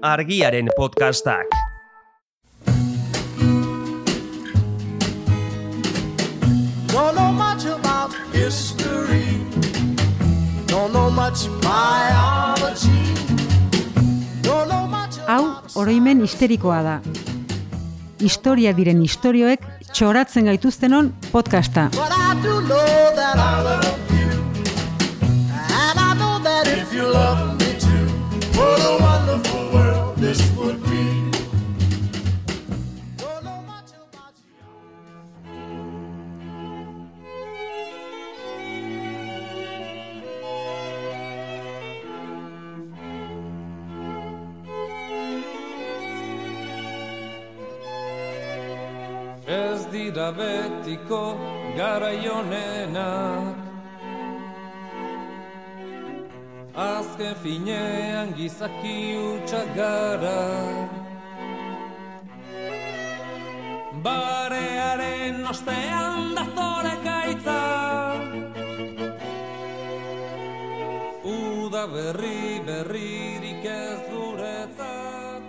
Argiaren podcastak. Don't know much about history. Don't know much biology. Don't know much Hau, oroimen histerikoa da. Historia diren istorioek txoratzen gaituztenon podcasta. But I do know that I love you. And I know that if you love me too, what a wonderful world this would be. Don't know much about you. Ez dira betiko garaionenak, azken finean gizaki hutsak gara. Barearen ostean dazore gaitza, uda berririk ez guretzat.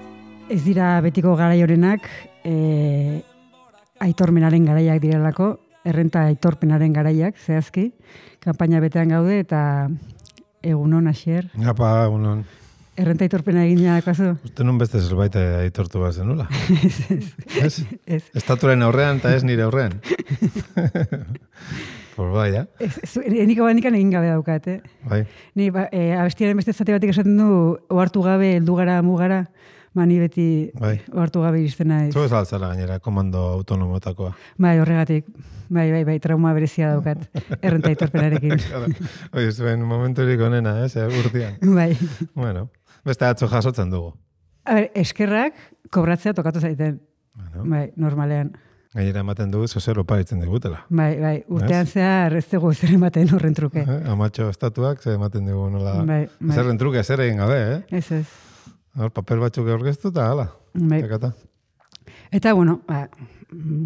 Ez dira betiko garaiorenak, aitormenaren garaiak direlako, errenta aitorpenaren garaiak, zehazki, kanpaina betean gaude, eta egunon, Asier. Apa, egunon. Errenta aitorpena egin jadakoazu? Uste nun beste zerbait aitortu bat zenula. Ez. Estatuaren aurrean eta ez nire aurrean. Por bai, ja? Eniko bandikan egin gabe daukat, Bai. Ni, abestiaren beste zate batik esaten du, ohartu gabe, heldu gara, mugara, ni beti Bai. ohartu gabe iristen naiz. Zu ez altzara gainera, komando autonomotakoa. Bai, horregatik. Bai, trauma berezia daukat, errenta aitorpenarekin. Oi, zuen momenturik onena, urtean. Bai. Bueno, beste atzo jasotzen dugu. A ber, eskerrak kobratzea tokatu zaiten. Bueno. Bai, normalean. Gainera ematen dugu zozer oparitzen digutela. Bai, urtean zehar ez dugu zer ematen horren truke. Amatxo estatuak ze ematen dugu nola. Bai. Zerren truke, zer egin gabe, Ez. Hor, papel batzuk aurkeztu eta hala. Bai. Tekata. Eta, bueno,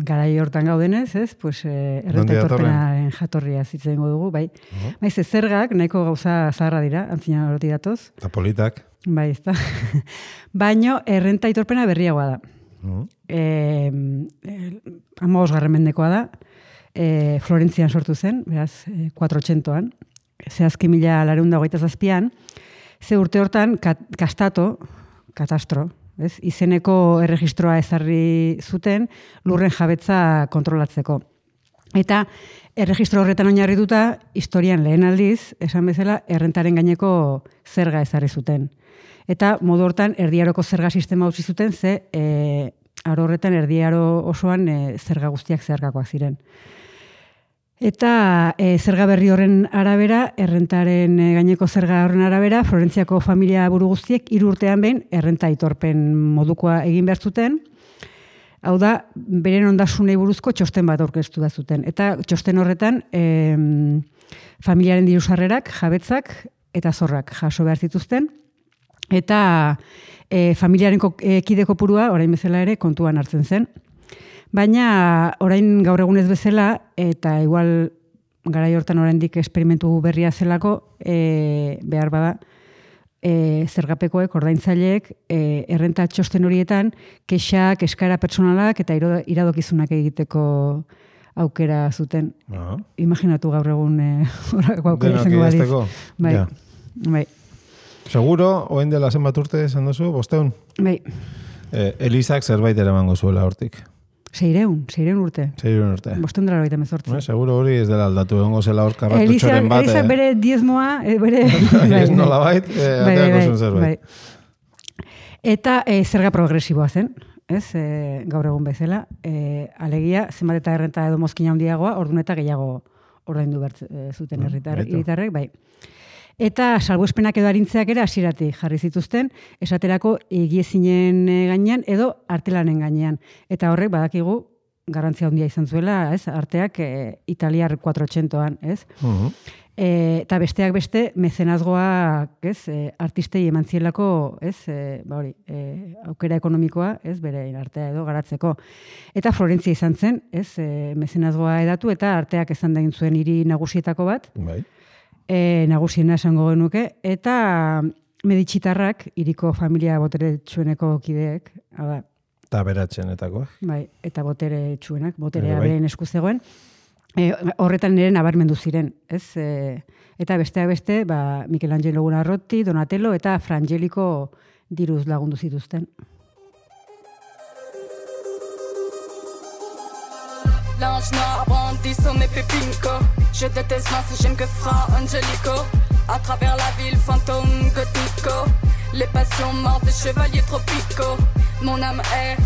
garai hortan gaudenez, ez? Pues, errenta aitorpenaren jatorria zitzen dugu, bai. Baiz, zergak nahiko gauza zaharra dira, antzina horoti datoz. Eta politak. Bai, ez da. Baino, errenta aitorpena berriagoa da. 15. mendekoa da. Florentzian sortu zen, beraz, 400an. Zehazki 1427an. Ze urte hortan, katastro, ez? Izeneko erregistroa ezarri zuten lurren jabetza kontrolatzeko. Eta erregistro horretan oinarrituta, historian lehen aldiz, esan bezala, errentaren gaineko zerga ezarri zuten. Eta modu hortan, erdiaroko zerga sistema utzi zuten, ze aro horretan erdiaro osoan zerga guztiak zeharkakoak ziren. Eta zerga berri horren arabera, errentaren gaineko zerga horren arabera, Florentziako familia buru guztiek 3 urtean behin errenta aitorpen modukoa egin behar zuten. Hau da, beren ondasunei buruzko txosten bat aurkeztu da zuten. Eta txosten horretan, familiaren dirusarrerak, jabetzak eta zorrak jaso behar zituzten. Eta familiaren kide kopurua, orain bezala ere, kontuan hartzen zen. Baina orain gaur egunez bezala, eta igual garai hortan oraindik esperimentu berria zelako, behar bada, zergapekoek, ordaintzaileek, errenta txosten horietan, kexak, eskaera pertsonalak eta iradokizunak egiteko aukera zuten. Imaginatu gaur egun horako aukera izango badiz. Bai. Seguro, oen dela zenbat urte esan duzu, 500? Bai. Elizak zerbait eramango zuela hortik. 600 urte. 600 urte. 518. Seguro hori ez dela aldatu, egongo zela hor karratutxoren bat. Elizak bere diezmoa, bere... Ez nola bait, ateako zuen zerbait. Eta zerga progresiboa zen, ez, gaur egun bezala. Alegia, zenbat eta errenta edo mozkina handiagoa, ordun eta gehiago ordaindu behar zuten herritarrek, bai. Eta salbuespenak edo arintzeak ere hasieratik jarri zituzten, esaterako egiezinen gainean edo artelanen gainean. Eta horrek badakigu garrantzia handia izan zuela, ez? Arteak italiar 400an, ez? Eta besteak beste mecenazgoak, ez? Artistei eman zielako, ez? Aukera ekonomikoa, ez? Bere artea edo garatzeko. Eta Florentzia izan zen, ez? Mecenazgoa edatu eta arteak izan da zuen hiri nagusietako bat. Bai. Nagusiena esango genuke, eta Meditsitarrak, hiriko familia boteretsueneko kideek, hau da, Eta beratxenetako. bai, eta boteretsuenak, boterea Bai. beren esku zegoen, horretan nire nabarmendu ziren, ez? Eta besteak beste, Michelangelo Buonarroti, Donatello eta Frangelico diruz lagundu zituzten. L'ange noir brandit son épée pinko. Je déteste Vince, j'aime que Fra Angelico. À travers la ville, fantôme gothico. Les passions mortes des chevaliers tropicaux. Mon âme est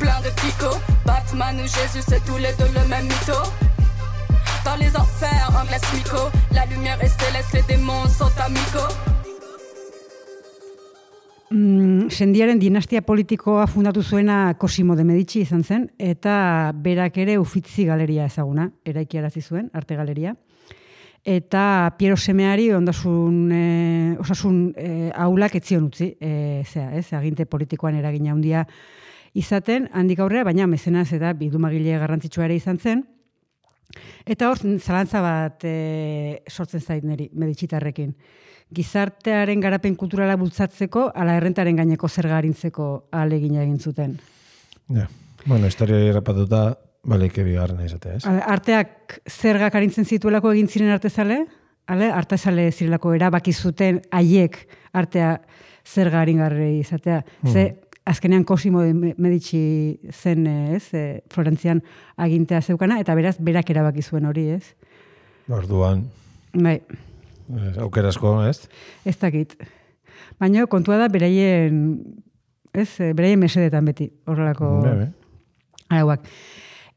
plein de picots. Batman ou Jésus, c'est tous les deux le même mytho. Dans les enfers, un glace mico. La lumière est céleste, les démons sont amicaux. Sendiaren dinastia politikoa fundatu zuena Cosimo de Medici izan zen, eta berak ere Uffizi galeria ezaguna, eraikiarazi zuen, arte galeria. Eta Piero semeari osasun aulak etzion utzi, aginte politikoan eragina handia izaten, handik aurrera, baina mezenaz eta bildumagile garrantzitsua ere izan zen. Eta hor, zalantza bat sortzen zait niri, Meditsitarrekin. Gizartearen garapen kulturala bultzatzeko, ala errentaren gaineko zerga arintzeko ahalegina egin zuten. Ja. Bueno, historia errapatuta, baleike bigarren izatea, ez? Arteak zergak arintzen zituelako egin ziren artezale, artezale zirelako erabaki zuten haiek artea zerga aringarri izatea. Ze, azkenean Cosimo de Medici zen, Florentzian agintea zeukana, eta beraz, berak erabaki zuen hori, ez? Orduan, Bai. Aukerasko, ez? Ez dakit. Baina kontua da beraien mesedetan beti, horrelako arauak.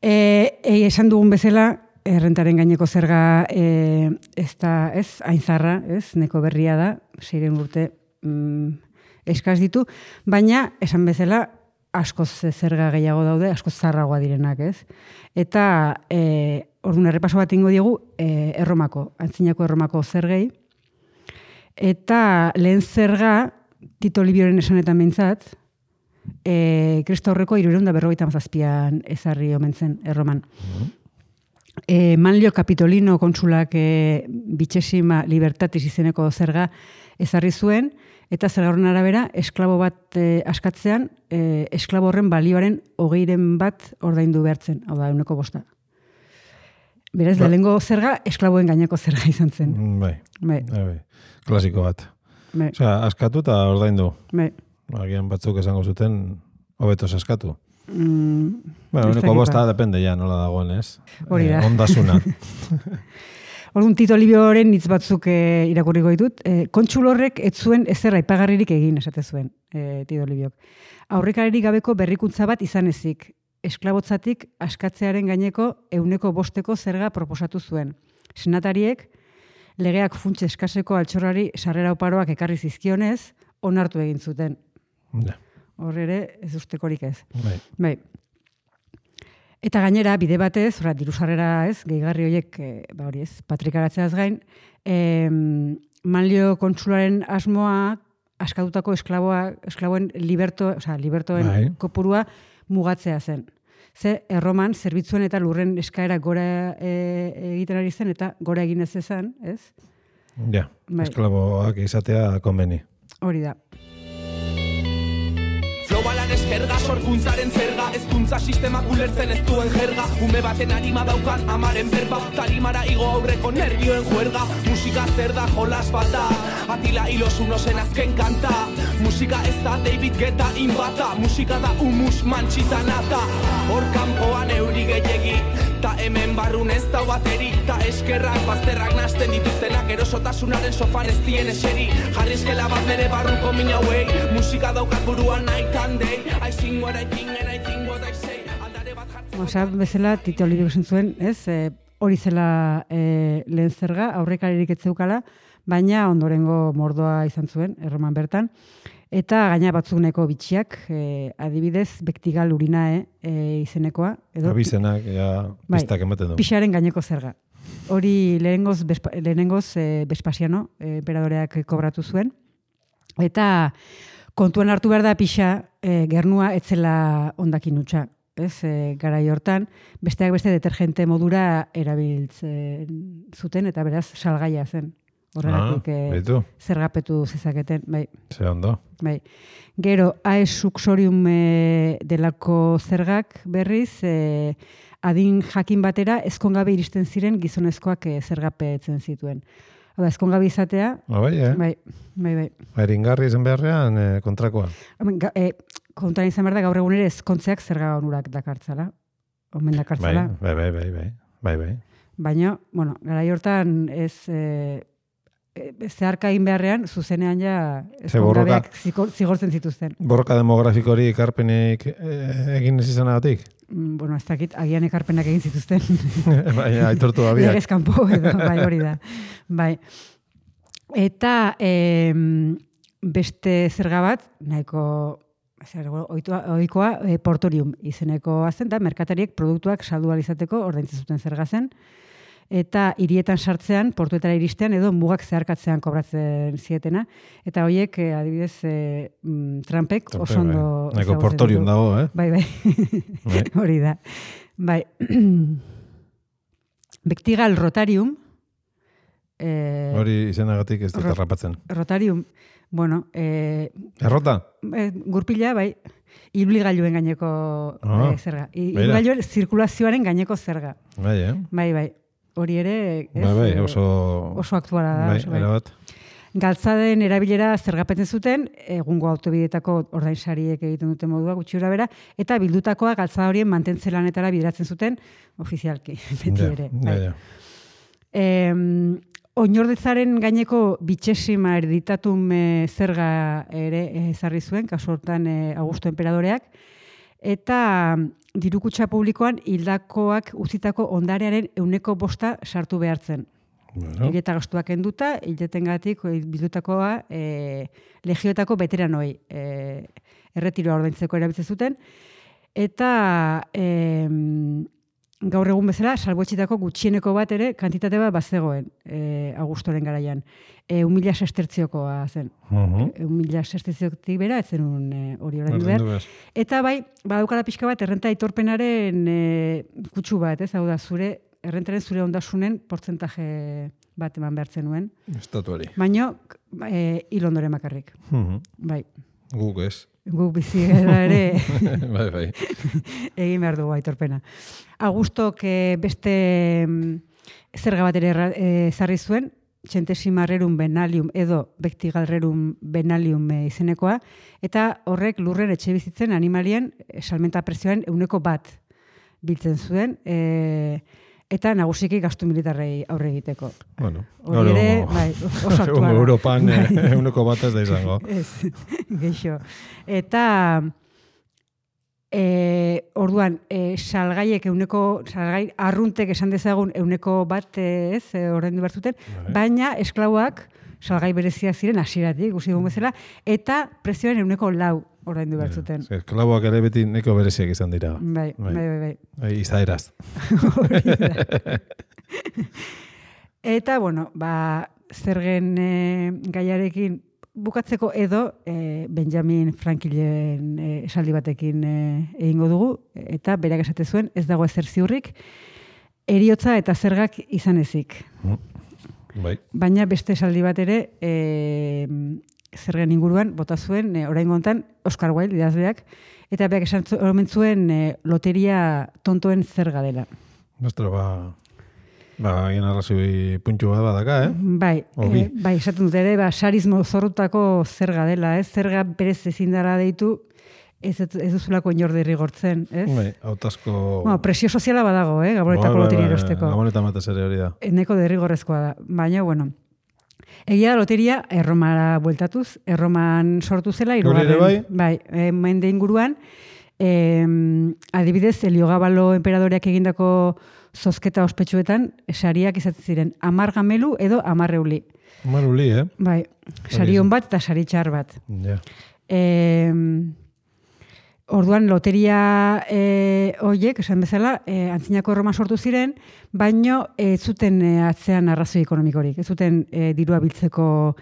Esan dugun bezala, errentaren gaineko zerga ez da, hain zarra, neko berria da, 6 urte eskaz ditu, baina esan bezala askoz zerga gehiago daude, askoz zarragoa direnak, ez? Eta orduan errepaso bat ingo diegu antzinako Erromako zergei, eta lehen zerga, Tito Livioren esanetan behintzat, Kristo aurreko 357an ezarri omen zen Erroman. Manlio Capitolino kontsulak Vicesima Libertatis izeneko zerga ezarri zuen, eta zerga horren arabera, esklabo bat askatzean, esklabo horren balioaren 20 bat ordaindu behartzen, hau da, 1/5. Berez, lehengo zerga, esklaboen gaineko zerga izan zen. Bai. Klasiko bat. Osea, askatu eta ordaindu. Bai. Agian batzuk esango zuten, hobetos askatu. Bueno, 1/5 depende ja, nola dagoen, ez? Hori da. Ondasuna. Orduan Tito Livioren hitz batzuk irakurriko ditut. Kontsul horrek ez zuen ezer aipagarririk egin, esate zuen Tito Liviok. Aurrekaririk gabeko berrikuntza bat izan ezik. Esklabotzatik askatzearen gaineko 1/5 zerga proposatu zuen. Senatariek legeak funts eskaseko altxorrari sarrera oparoak ekarri zizkionez, onartu egin zuten. Hor ere, ez ustekorik ez. Bai. Eta gainera, bide batez, diru sarrera ez, gehigarri horiek, hori ez, patrikaratzeaz gain, Manlio kontsularen asmoa askatutako esklaboen libertoen kopurua mugatzea zen. Ze, Erroman, zerbitzuen eta lurren eskaera gora egiten ari zen, eta gora egin ez ezan, ez? Ja, esklaboak izatea konbeni. Hori da. Flobalan eskerga, sorkuntzaren zerga, ezkuntza sistemak ulertzen ez duen jerga, ume baten arima daukan amaren berba, tarimara igo aurreko nervioen juerga, musika zer da jolas bat da, Atila Ilosunosen azken kanta, musika ez da David Guetta inbata, musika da humus mantxitanata, hor kanpoan euri gehiegi, ta hemen barrun ez da bateri, ta eskerrak bazterrak nasten dituztenak erosotasunaren sofan ez dien eseri, jarri eskela bat nere barruko mina hauei, musika daukat buruan night and day, I sing what I think and I think what I say, aldare bat jartzen. Osa, bezala, Tito Livio esan zuen, ez, hori zela lehen zerga, aurrekaririk ez zeukala, baina ondorengo mordoa izan zuen, Erroman bertan, eta gaina batzuk nahiko bitxiak, adibidez, Bektigal Urinae izenekoa. Abizenak, pistak ematen du. Pixaren gaineko zerga. Hori lehenengoz Vespasiano, emperadoriak kobratu zuen, eta kontuan hartu behar da pixa, gernua etzela ondakin hutsa. Garai hortan, besteak beste detergente modura erabiltzen zuten, eta beraz salgaia zen. Horregatik zergapetu zezaketen, bai. Ze ondo. Bai. Gero, aesuxorium delako zergak berriz, adin jakin batera ezkongabe iristen ziren gizonezkoak zergapetzen zituen. Hau da, ezkongabe izatea... Bai. Eringarri izan beharrean kontrakoa. Kontuan izan behar da, gaur egun ere ezkontzeak zerga onurak dakartzala. Omen dakartzala. Bai. Baina, bueno, garai hortan ez... zeharka egin beharrean, zuzenean ja ezkongabeak zigortzen zituzten. Borroka demografikorik ekarpenik egin ez izanagatik? Bueno, ez dakit, agian ekarpenak egin zituzten. Baina, aitortu abiak. Legez kanpo edo, bai, hori da. Bai. Eta beste zerga bat, nahiko ohikoa portorium izeneko azen, da merkatariek produktuak saldu ahal izateko ordaintzen zuten zerga zen. Eta hirietan sartzean, portuetara iristean, edo mugak zeharkatzean kobratzen zietena. Eta horiek, adibidez, Trumpek oso ondo... Neko portorium dago, Bai. Hori da. Bai. Bektigal Rotarium. Hori izenagatik ez dut errapatzen. Rotarium, bueno... Errota? Gurpila, bai. Ibilgailuen gaineko zerga. Ibilgailuen zirkulazioaren gaineko zerga. Bai. Hori ere oso aktuala da. Erabat. Galtzaden erabilera zergapetzen zuten, egungo autobidetako ordainsariek egiten duten modua gutxi bera, eta bildutakoa galtzada horien mantentze lanetara bideratzen zuten ofizialki, beti ere. Oinordetzaren gaineko bitxesima erditatum zerga ere ezarri zuen, kasu hortan Augusto Enperadoreak, eta dirukutxa publikoan hildakoak utzitako ondarearen 100% sartu behartzen. Hileta gastuak enduta, hiletengatik bildutakoa legioetako veteranoi erretiroa ordaintzeko erabiltzen zuten, eta gaur egun bezala salbuetxitako gutxieneko bat ere kantitate bat bazegoen Augustoren garaian. 1.000 sestertziokoa zen. 1.000 sestertziotik bera, ez zenun hori orain behar. Eta bai, badaukala pixka bat, errenta aitorpenaren kutsu bat, ez? Hau da, errentaren zure ondasunen portzentaje bat eman behartzen nuen. Estatuari. Baina, hil ondoren bakarrik. Bai. Guk ez. Guk bizi gara ere bai. Egin behar dugu aitorpena. Augustok beste zerga bat ere ezarri zuen, Centesimarrerum venalium edo Bektigalrerum venalium izenekoa, eta horrek lurren etxe bizitzen animalien salmenta prezioen 1% biltzen zuen, eta nagusiki gastu militarrei aurre egiteko. Bueno, hori ere, bai, oso aktuala. Europan 1% ez da izango. Ez, geixo. Eta orduan, salgaiek salgai arruntek esan dezagun 1% ez, ordaindu behar zuten, baina esklauak salgai bereziak ziren hasieratik, ikusi dugun bezala, eta prezioen 4% ordaindu behar zuten. Esklauak ere beti neko bereziak izan dira. Bai. Izaeraz. Eta, bueno, zergen gaiarekin bukatzeko edo Benjamin Franklinen esaldi batekin egingo dugu, eta berak esate zuen ez dago ezer ziurrik, heriotza eta zergak izan ezik. Bai. Baina beste esaldi bat ere zergen inguruan bota zuen oraingo hontan Oscar Wilde idazleak, eta berak esan zuen loteria tontoen zerga dela. Nostro, egin arrazoi puntxu bat badaka, Bai, esaten dut ere, sarismo zorrotako zerga dela, zerga berez ezin dara deitu, ez duzulako inorde rigortzen, ez? Bai, hautazko... presio soziala badago, Gabonetako loteria erosteko. Gabonetan batez ere hori da. Neko derrigorrezkoa da, baina, bueno, egia da loteria Erromara bueltatuz, Erroman sortu zela, mende inguruan, adibidez, Heliogabalo enperadoreak egindako zozketa ospetsuetan, sariak izatzen ziren 10 gamelu edo 10 euli. 10 euli, Bai, sari on bat eta sari txar bat. Ja. Orduan, loteria horiek, esan bezala, antzinako Erroma sortu ziren, baino ez zuten atzean arrazoi ekonomikorik, ez zuten dirua biltzeko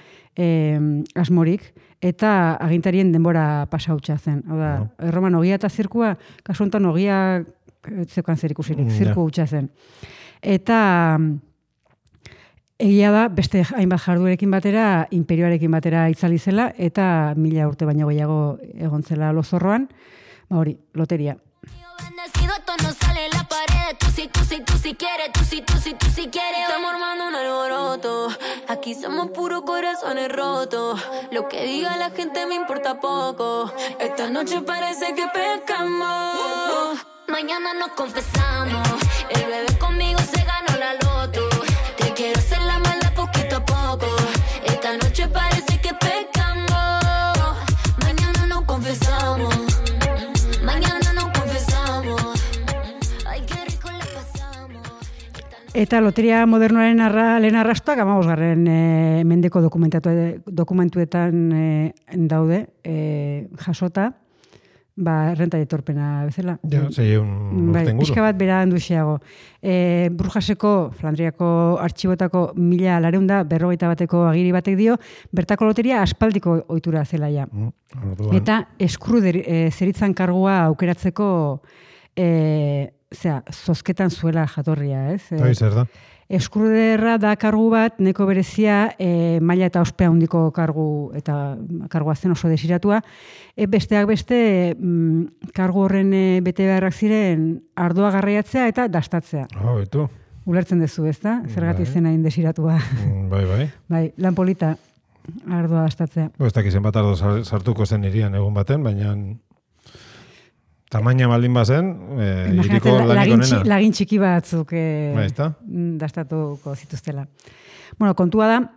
asmorik, eta agintarien denbora pasautxa zen. Hau da, Erroman ogia eta zirkua, kasu honetan ogia zeukan zer ikusirik, zirku hutsa zen. Eta Egia da, beste hainbat jarduerekin batera, imperioarekin batera itzali zela, eta 1000 urte baino gehiago egon zela lozorroan, hori, loteria. Bendecido, esto no sale en la pared. Tú sí quieres, tú sí quieres. Estamos armando un alboroto. Aquí somos puros corazones rotos. Lo que diga la gente me importa poco. Esta noche parece que pescamos. Mañana nos confesamos. El bebé conmigo se ganó la loto. Te quiero hacer la mala poquito a poco. Esta noche parece que pescamos. Mañana nos confesamos. Eta loteria modernoaren lehen arrastoak 15. Mendeko dokumentuetan daude jasota, errenta etorpena bezala. Ja, un bai, pixka bat bera handuxeago. Brujaseko, Flandriako artxibotako 1451 agiri batek dio, bertako loteria aspaldiko ohitura zela ja. Eta eskruder zeritzan kargua aukeratzeko zozketan zuela jatorria, ez? Zer da? Eskruderra da kargu bat, neko berezia, maila eta ospea handiko kargu, eta kargua zen oso desiratua. Besteak beste, kargu horren bete beharrak ziren ardoa garraiatzea eta dastatzea. Betu. Ulertzen duzu, ez da? Zergatik zen hain desiratua. Bai. Bai, lan polita, ardoa dastatzea. Ez dakiz zenbat ardo sartuko zen irian egun baten, baina tamaina baldin bazen, iriko lanik onena. Lagin txiki batzuk Baizta? dastatuko zituztela. Bueno, kontua da,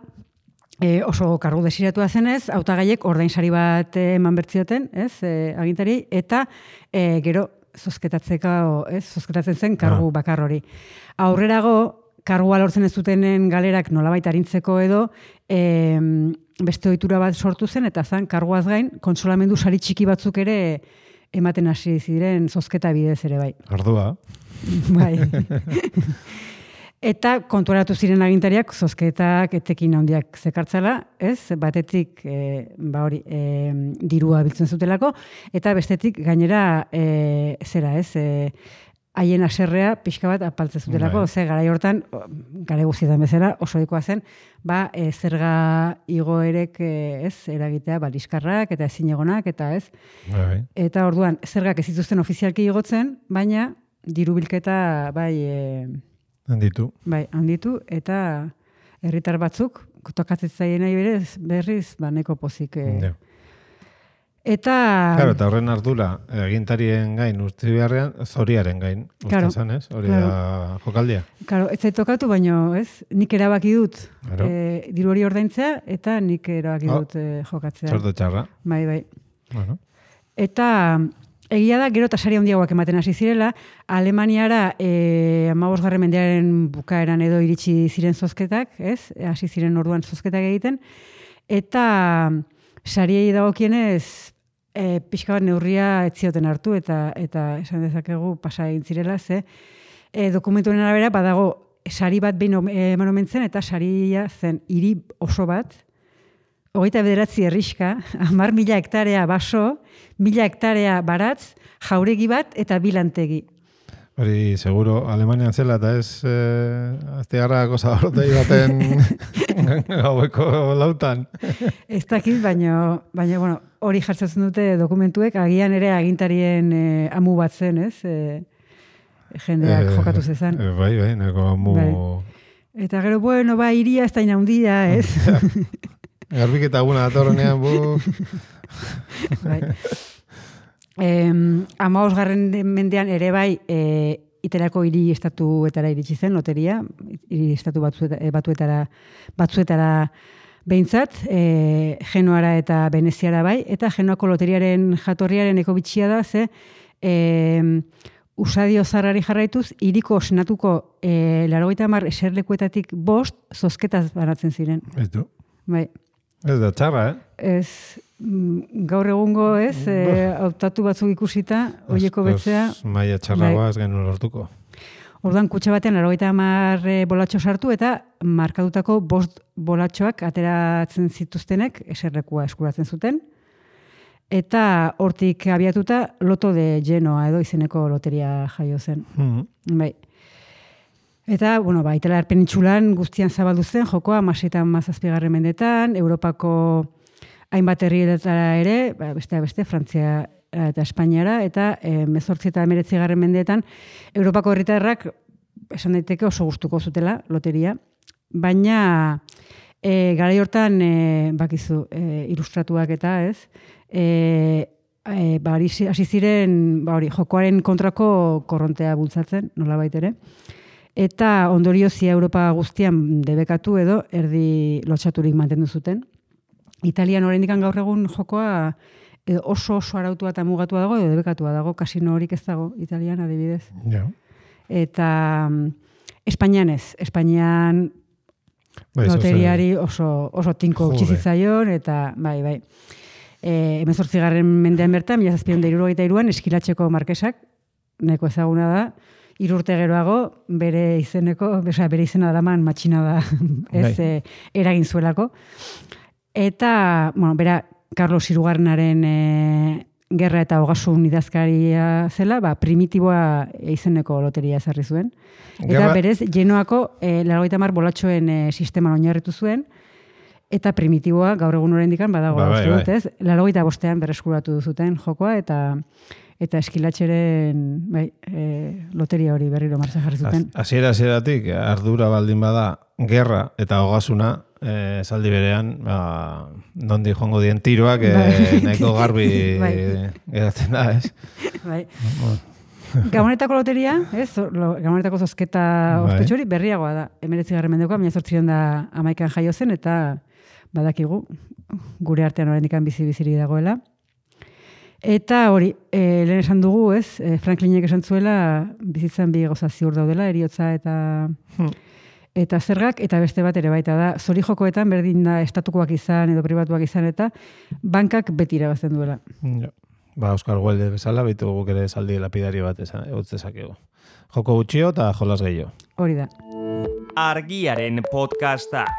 oso kargu desiratua zenez, hautagaiek ordainsari bat eman bertzioten, ez, agintari, eta gero zozketatzen zen kargu bakar hori. Aurrerago, kargua lortzen ez dutenen galerak nolabait arintzeko edo, beste ohitura bat sortu zen, eta zan, karguaz gain, kontsolamendu sari txiki batzuk ere ematen hasi ziren zozketa bidez ere bai. Ardua. Bai. Eta kontuaratu ziren agintariak zozketak etekin handiak zekartzala, ez? Batetik dirua biltzen zutelako, eta bestetik gainera haien aserrea pixka bat apaltzen zutelako, ze garai hortan, garai guztietan bezala, oso ohikoa zen, zerga igoerek eragitea, liskarrak eta ezinegonak, eta ez. Bai. Eta orduan, zergak ez zituzten ofizialki igotzen, baina diru bilketa handitu, eta herritar batzuk, tokatzen zaien nahi berriz, neko pozik. Eta horren ardura, agintarien gain uste beharrean, zoriaren gain. Uste zan, ez? Hori da jokaldia. Claro, ez zait tokatu, baina nik erabaki dut diru hori ordaintzea, eta nik erabaki dut jokatzea. Sorte txarra. Bai. Bueno. Eta egia da, gero eta sari handiagoak ematen hasi zirela, Alemaniara 15. mendearen bukaeran edo iritsi ziren zozketak, ez? Hasi ziren orduan zozketak egiten, eta sariei dagokienez pixka bat neurria ez zioten hartu eta esan dezakegu pasa egin zirela, ze dokumentuen arabera badago sari bat behin eman omen zen, eta saria zen hiri oso bat, 29 herrixka, 10.000 hektarea baso, 1.000 hektarea baratz, jauregi bat eta bilantegi. Hori, seguro, Alemanian zela, eta ez aztegarrako zabarrotei baten gaueko lautan. Ez dakit, baina bueno, hori jartzen dute dokumentuek, agian ere agintarien amu bat zen, ez? Jendeak jokatu zezan. Bai, neko amu... Bai. Eta gero, bueno, iria ez da inaundia, ez? Garbiketa aguna datorrenean, Bai. 15. mendean ere bai iterako hiri estatuetara iritsi zen loteria, hiri estatu batzuetara behintzat, Genoara eta Veneziara bai, eta Genoako loteriaren jatorriaren ekobitxia da, ze usadio zarrari jarraituz, hiriko senatuko 90 eserlekuetatik 5 zozketaz banatzen ziren. Etu. Bai. Ez da txarra, Ez, gaur egungo ez, hautatu batzuk ikusita, hoieko betzea. Maia txarragoa ez genuen lortuko. Orduan kutxa batean 90 bolatxo sartu eta markadutako 5 bolatxoak ateratzen zituztenek eserlekua eskuratzen zuten. Eta hortik abiatuta Loto de Genoa edo izeneko loteria jaio zen. Bai. Eta, bueno, Italia penintsulan guztian zabaldu zen, jokoa 16. mendetan, Europako hainbat herrietara ere, beste, Frantzia eta Espainiara, eta 18 eta 19. mendeetan, Europako herritarrak esan daiteke oso gustuko zutela, loteria, baina garai hortan, bakizu, ilustratuak eta ez, hasi ziren, jokoaren kontrako korrontea bultzatzen, nolabait ere, eta ondoriozia Europa guztian debekatu edo erdi lotxaturik mantendu zuten. Italian oraindik gaur egun jokoa oso arautua eta mugatua dago edo debekatua dago, kasino horik ez dago Italian adibidez. Ja. Eta Espainian ez. Espainian loteriari oso tinko utzi zitzaion eta bai. 18. mendean bertan, 1773an Eskilatxeko markesak, neko ezaguna da, 3 urte geroago bere izena daraman matxina da eragin zuelako. Eta, bueno, bera Carlos Hirugarrenaren gerra eta ogasun idazkaria zela, primitiboa izeneko loteria ezarri zuen. Eta berez, Genoako 80 bolatxoen sisteman oinarritu zuen, eta primitiboa gaur egun oraindik badago, uste dut, ez? 85an berreskuratu zuten jokoa, eta Eskilatxeren loteria hori berriro martxan jarri zuten. Hasieratik ardura baldin bada gerra eta ogasuna, esaldi berean, nondi joango dien tiroak, nahiko garbi geratzen da, ez? Bai. Gabonetako loteria, Gabonetako zozketa ospetxori berriagoa da. 19. mendekoa, 1811an jaio zen, eta badakigu, gure artean oraindik bizi-bizirik dagoela. Eta hori, lehen esan dugu, ez? Franklinek esan zuela, bizitzan bi gauza ziur daudela, heriotza eta zergak, eta beste bat ere baita da, zori jokoetan berdin da estatukoak izan edo pribatuak izan, eta bankak beti irabazten duela. Ja. Oskar Wilde bezala, bitu guk ere esaldi lapidari bat eutzezakegu. Joko gutxio eta jolas gehiago. Hori da. Argiaren podcastak.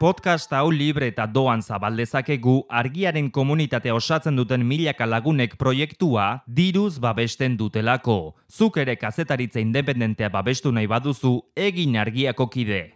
Podcast hau libre eta doan zabaldezakegu Argiaren komunitatea osatzen duten milaka lagunek proiektua diruz babesten dutelako. Zuk ere kazetaritza independentea babestu nahi baduzu, egin Argiako kide.